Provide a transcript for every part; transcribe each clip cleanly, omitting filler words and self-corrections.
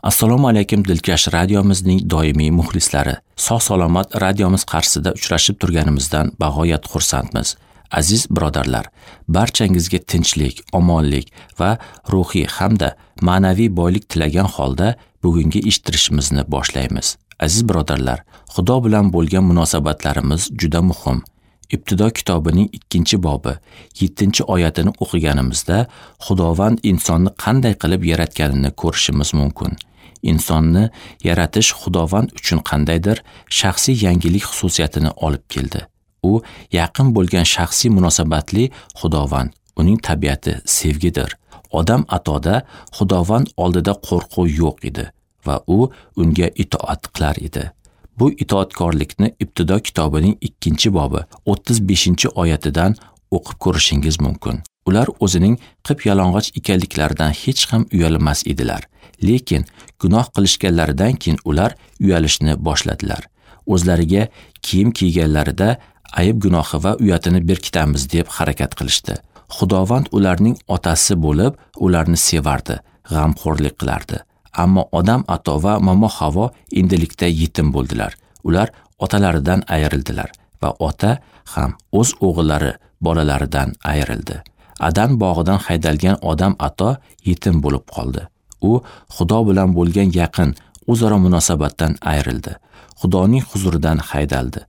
Assalomu alaykum Dilkash radiomizning doimiy muxlislari. Sog' salomat radiomiz qarshisida uchrashib turganimizdan bag'oyat xursandmiz. Aziz birodarlar, barchangizga tinchlik, omonlik va ruhiy hamda ma'naviy boylik tilagan holda bugungi eshittirishimizni boshlaymiz. Aziz birodarlar, Xudo bilan bo'lgan munosabatlarimiz juda muhim. Ibtido kitobining 2-bobi 7-oyatini o'qiganimizda Xudovand insonni qanday qilib yaratganini ko'rishimiz mumkin. Insonni yaratish Xudovand uchun qandaydir shaxsiy yangilik xususiyatini olib keldi. U yaqin bo'lgan shaxsiy munosabatli Xudovand, uning tabiati sevgidir. Odam atoda Xudovand oldida qo'rquv yo'q edi va u unga itoat qilar edi. Bu itoatkorlikni Ibtido kitobining 2-bobi 35-oyatidan o'qib ko'rishingiz mumkin. Ular o'zining qip-yalang'och ekanliklaridan hech ham uyalmas edilar. Lekin gunoh qilishganlaridan keyin ular uyalishni boshladilar. O'zlariga kiyim kiyganlarida ayib gunohi va uyatini berkitamiz deb harakat qilishdi. Xudovand ularning otasi bo'lib, ularni sevardi, g'amxo'rlik qilardi. Ammo Odam ato va Momo Havo endilikda yetim bo'ldilar. Ular otalaridan ayrildilar va ota ham o'z o'g'illari bolalaridan ayrildi. Adan bog'idan haydalgan Odam ato yetim bo'lib qoldi. U Xudo bilan bo'lgan yaqin o'zaro munosabatdan ayrildi. Xudoning huzuridan haydaldi.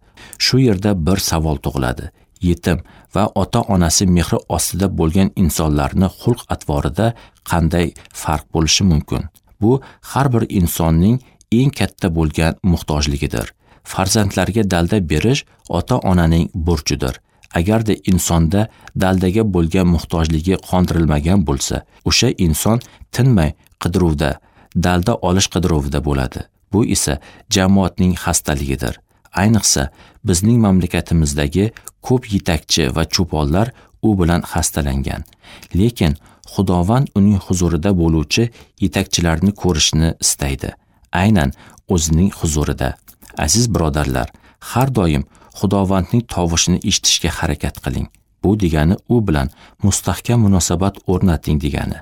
Shu yerda bir savol tug'iladi. Yetim va ota-onasi mehri ostida bo'lgan insonlarni xulq-atvorida qanday farq bo'lishi mumkin? Bu har bir insonning eng katta bo'lgan muhtojligidir. Farzandlarga dalda berish ota-onaning burchidir. Agarda insonda daldaga bo'lgan muhtojligi qondirilmagan bo'lsa, o'sha inson tinmay qidiruvda, dalda olish qidiruvida bo'ladi. Bu esa jamoatning xastaligidir. Ayniqsa, bizning mamlakatimizdagi ko'p yetakchi va cho'ponlar u bilan xastalangan. Lekin Xudovand uning huzurida bo'luvchi yetakchilarni ko'rishni istaydi. Aynan o'zining huzurida. Aziz birodarlar, har doim Xudovandning tovushini eshitishga harakat qiling. Bu degani u bilan mustahkam munosabat o'rnating degani.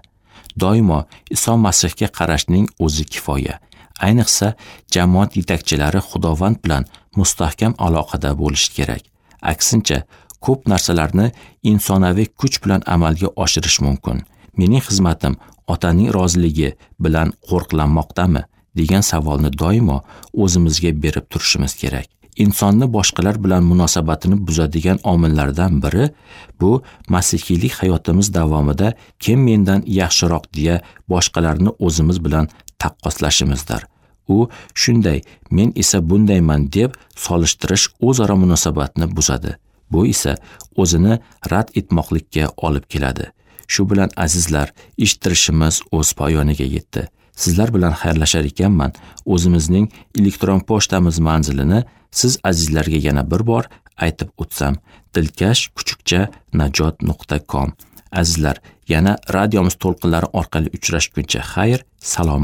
Doimo Iso Masihga qarashning o'zi kifoya. Ayniqsa, jamoat yetakchilari Xudovand bilan mustahkam aloqada bo'lishi kerak. Aksincha, ko'p narsalarni insonaviy kuch bilan amalga oshirish mumkin. Mening xizmatim otaning roziligi bilan qo'riqlanmoqdami degan savolni doimo o'zimizga berib turishimiz kerak. Insonni boshqalar bilan munosabatini buzadigan omillardan biri bu masihiylik hayotimiz davomida kim mendan yaxshiroq deya boshqalarni o'zimiz bilan taqqoslashimizdir. U shunday, men esa bundayman deb solishtirish o'zaro munosabatni buzadi. Bu esa o'zini rad etmoqlikka olib keladi. Shu bilan azizlar, eshittirishimiz o'z poyoniga yetdi. Sizlar bilan xayrlashar ekanman, o'zimizning elektron pochtamiz manzilini siz azizlarga yana bir bor aytib o'tsam: dilkash@najot.com. Azizlar, yana radiomiz to'lqinlari orqali uchrashguncha xayr, salomat.